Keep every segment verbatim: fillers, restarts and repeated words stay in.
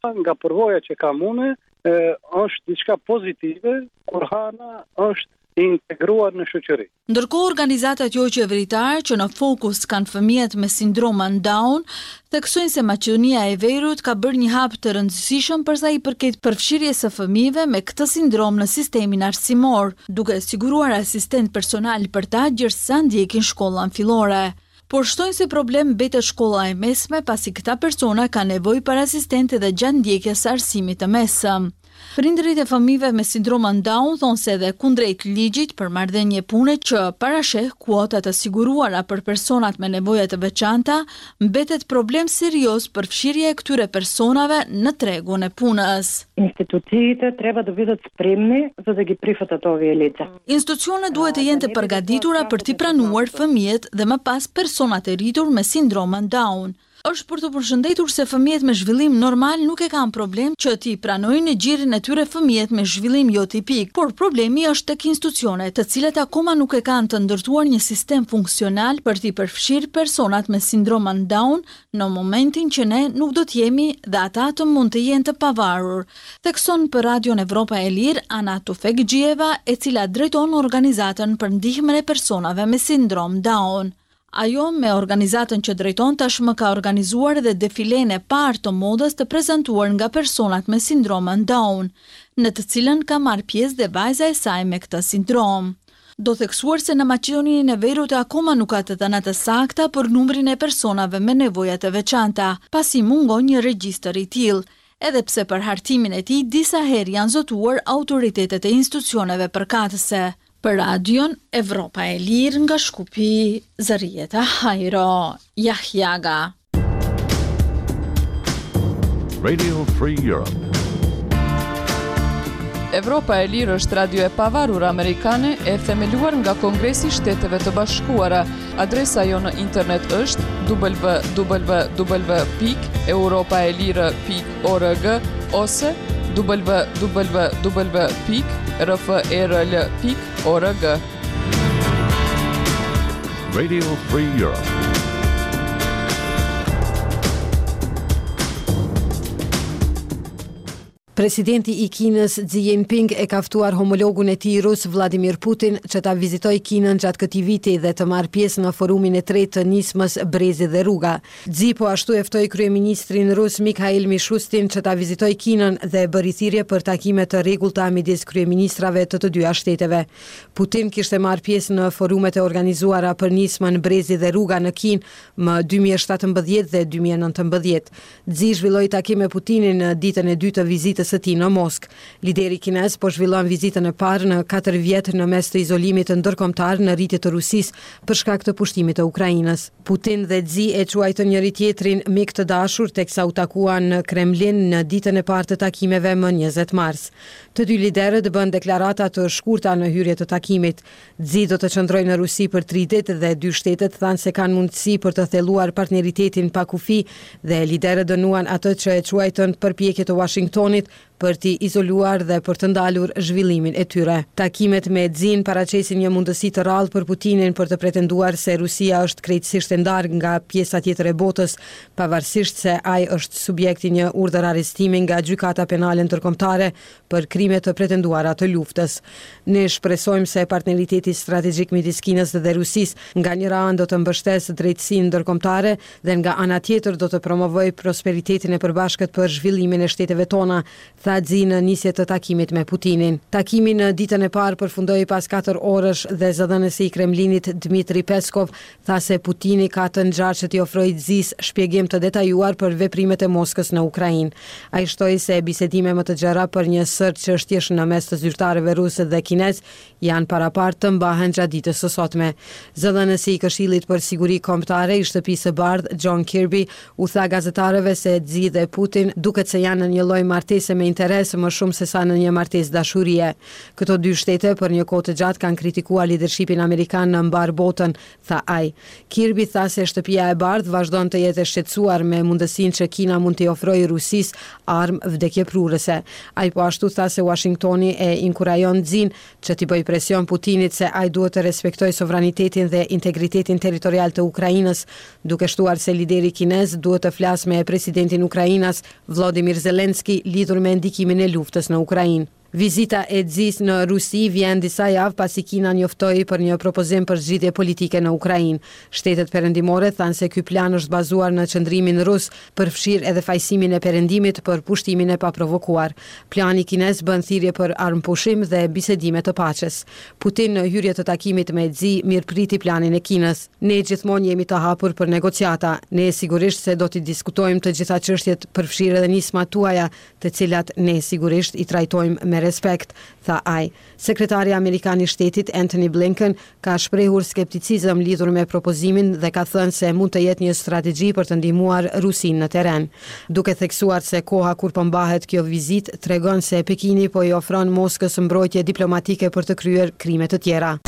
Nga përvoja që kam unë, është diçka pozitive kur Hana është integruar në shoqëri. Ndërkohë, organizatat jo qeveritare që në fokus kanë fëmijët me sindromën Down, theksojnë se Maqedonia e Veriut ka bërë një hap të rëndësishëm për sa i përket përfshirjes së fëmijëve me këtë sindrom në sistemin arsimor, duke siguruar asistent personal për ta gjersa ndjekin shkollën fillore. Por shtojnë se problem mbetet shkolla e mesme, pasi këta persona kanë nevojë për asistentë edhe gjatë ndjekjes së arsimit të mesëm. Prindërit e fëmijëve me sindromën Down thonë se edhe kundrejt ligjit për marrëdhënie pune që parasheh kuota të siguruara për personat me nevoja të veçanta, mbetet problem serioz përfshirja e këtyre personave në tregun e punës. Институциите треба да бидат спремни за да ги прифатат овие лица. Institucionet duhet të jenë të përgatitura për t'i pranuar fëmijët dhe më pas personat e rritur me sindromën Down. Është për të përshëndetur se fëmijët me zhvillim normal nuk e kanë problem që t'i pranojnë në gjirin e tyre fëmijët me zhvillim jo tipik, por problemi është tek institucionet, të cilat akoma nuk e kanë të ndërtuar një sistem funksional për t'i përfshirë personat me sindromën Down në momentin që ne nuk do të jemi dhe ata të mund të jenë të pavarur, thekson për Radion Evropa e Lirë Ana Tufekxhieva, e cila drejton organizatën për ndihmën e personave me sindrom Down. Ajo me organizatën që drejton tashmë ka organizuar edhe defilen e parë të modës të prezantuar nga personat me sindromën Down, në të cilën ka marrë pjesë dhe vajza e saj me këtë sindrom. Do theksuar se në Maqedoninë e Veriut akoma nuk ka të dhëna të sakta për numrin e personave me nevoja të veçanta, pasi mungon një regjistër i tillë, edhe pse për hartimin e tij disa herë janë zotuar autoritetet e institucioneve përkatëse. Për Radion Evropa e Lirë nga Shkupi, Zërijeta Hajro, Jahjaga. Radio Free Europe. Evropa e Lirë është radio e pavarur amerikane e themeluar nga Kongresi i Shteteve të Bashkuara. Adresa jonë në internet është w w w pikë europaelire pikë org ose w w w pikë r f e r l pikë org. Radio Free Europe. Presidenti i Kinës Xi Jinping e ka ftuar homologun e tij rus Vladimir Putin që ta vizitojë Kinën gjatë këtij viti dhe të marrë pjesë në forumin e tretë të nismës Brezi dhe Rruga. Xi po ashtu e ftoi kryeministrin rus Mikhail Mishustin që ta vizitojë Kinën dhe bëri thirrje për takime të rregullta midis kryeministrave të të dyja shteteve. Putin kishte marrë pjesë në forumet e organizuara për nismën Brezi dhe Rruga në Kinë më dy mijë e shtatëmbëdhjetë dhe dy mijë e nëntëmbëdhjetë. Xi zhvilloi takim me Putinin në ditën e dytë të vizitës së tij në Moskë. Lideri kinez po zhvillon vizitën e parë në katër vjet në mes të izolimit ndërkombëtar në rritje të Rusisë për shkak të pushtimit të Ukrainës. Putin dhe Xi e quajtën njëri tjetrin mik të dashur teksa u takuan në Kremlin në ditën e parë të takimeve më njëzet mars. Të dy liderët bën deklarata të shkurta në hyrje të takimit. Xi do të qëndrojë në Rusi për tri ditë dhe dy shtetet thanë se kanë mundësi për të thelluar partneritetin pa kufi dhe liderët dënuan atë që e quajtën përpjekje të Washingtonit për t'i izoluar dhe për të ndalur zhvillimin e tyre. Takimet me Xin paraqesin një mundësi të rrallë për Putinin për të pretenduar se Rusia është krejtësisht e ndarë nga pjesa tjetër e botës, pavarësisht se ai është subjekt i një urdhër arrestimi nga Gjykata Penale Ndërkombëtare për krime të pretenduara të luftës. Ne shpresojmë se partneriteti strategjik midis Kinës dhe Rusisë nga njëra anë do të mbështesë drejtësinë ndërkombëtare dhe nga ana tjetër do të promovojë prosperitetin e përbashkët për zhvillimin e shteteve tona, tha Xi në nisje të takimit me Putinin. Takimi në ditën e parë përfundoi pas katër orësh dhe zëdhënësi i Kremlinit Dmitri Peskov tha se Putini ka të ngjarë që t'i ofrojë Xis shpjegim të detajuar për veprimet e Moskës në Ukrainë. Ai shtoi se bisedime më të gjera për një sërë çështjesh në mes të zyrtarëve rusë dhe kinez janë paraparë të mbahen gjatë ditës së sotme. Zëdhënësi i Këshillit për Siguri Kombëtare i Shtëpisë së Bardhë, John Kirby, u tha gazetarëve se Xi dhe Putin duket se janë në një lloj martese me interesa interes më shumë sesa në një martesë dashurie. Këto dy shtete për një kohë të gjatë kanë kritikuar lidershipin amerikan në mbarë botën, tha ai. Kirby tha se Shtëpia e Bardhë vazhdon të jetë e shqetësuar me mundësinë që Kina mund t'i ofrojë Rusisë armë vdekjeprurëse. Ai po ashtu tha se Washingtoni e inkurajon Xin që t'i bëjë presion Putinit se ai duhet të respektojë sovranitetin dhe integritetin territorial të Ukrainës, duke shtuar se lideri kinez duhet të flasë me presidentin ukrainas Vladimir Zelensky lidhur me ndikimin e luftës në Ukrainë. Vizita e Xis në Rusi vjen disa javë pasi Kina njoftoi për një propozim për zgjidhje politike në Ukrainë. Shtetet perëndimore thanë se ky plan është bazuar në qëndrimin rus, përfshirë edhe fajësimin e perëndimit për pushtimin e paprovokuar. Plani kinez bën thirrje për armëpushim dhe bisedime të paqes. Putin në hyrje të takimit me Xi mirëpriti planin e Kinës. Ne gjithmonë jemi të hapur për negociata. Ne sigurisht se do t'i diskutojmë të gjitha çështjet, përfshirë edhe nismat tuaja, të cilat ne sigurisht i trajtojmë me respekt, tha ai. Sekretari amerikan i shtetit Antony Blinken ka shprehur skepticizëm lidhur me propozimin dhe ka thënë se mund të jetë një strategji për të ndihmuar Rusinë në terren, duke theksuar se koha kur po mbahet kjo vizitë tregon se Pekini po i ofron Moskës mbrojtje diplomatike për të kryer krime të tjera.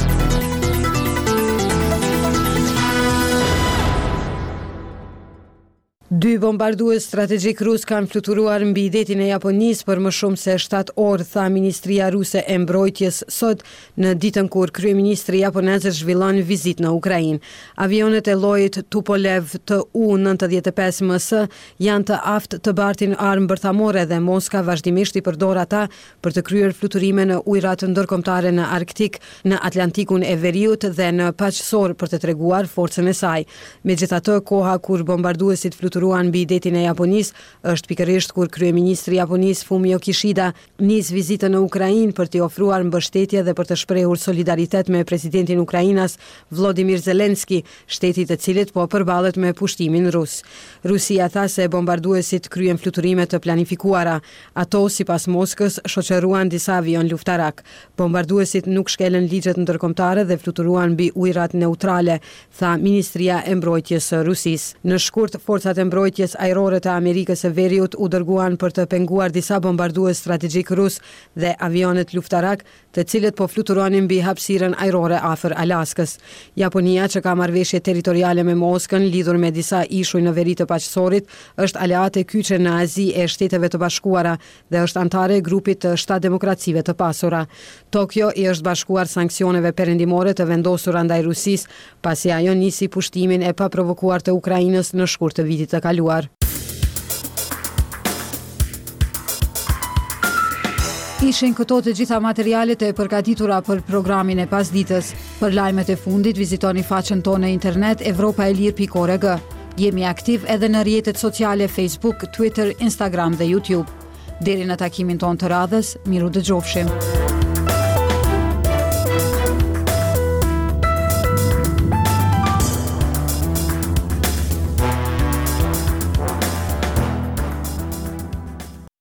Dy bombardues strategjik rus kanë fluturuar mbi detin e Japonisë për më shumë se shtatë orë, tha Ministria Ruse e Mbrojtjes sot në ditën kur kryeministri japonez zhvillon vizitë në Ukrainë. Avionët e llojit Tupolev T U nëntëdhjetë e pesë M S janë të aftë të bartin armë bërthamore dhe Moska vazhdimisht i përdor ata për të kryer fluturime në ujërat ndërkombëtare në Arktik, në Atlantikun e Veriut dhe në Paqësor për të treguar forcën e saj. Megjithatë, koha kur bombarduesit fluturuan mbi detin e Japonisë është pikërisht kur kryeministri i Japonisë Fumio Kishida nis vizitën në Ukrainë për t'i ofruar mbështetje dhe për të shprehur solidaritet me presidentin ukrainas Vladimir Zelensky, shteti të cilit po përballet me pushtimin rus. Rusia tha se bombarduesit kryen fluturime të planifikuara. Ato, sipas Moskës, shoqëruan disa avion luftarak. Bombarduesit nuk shkelën ligjet ndërkombëtare dhe fluturuan mbi ujërat neutrale, tha Ministria e Mbrojtjes së Rusisë. Në shkurt, forcat e mbrojtjes ajrore të Amerikës së Veriut u dërguan për të penguar disa bombardues strategjik rus dhe avionët luftarak, të cilët po fluturonin mbi hapësirën ajrore afër Alaskës. Japonia, që ka marrëveshje territoriale me Moskën lidhur me disa ishuj në veri të Paqësorit, është aleate kyçe në Azi e Shteteve të Bashkuara dhe është anëtare e grupit të shtatë demokracive të pasura. Tokyo i është bashkuar sanksioneve perëndimore të vendosura ndaj Rusisë, pasi ajo nisi pushtimin e paprovokuar të Ukrainës në shkurt të vitit të kaluar. Ishin këto të gjitha materialet e përgatitura për programin e pasditës. Për lajmet e fundit vizitoni faqen tonë në internet evropa e lirë pikë org. Jemi aktiv edhe në rrjetet sociale Facebook, Twitter, Instagram dhe YouTube. Deri në takimin tonë të radhës, miru dëgjofshim.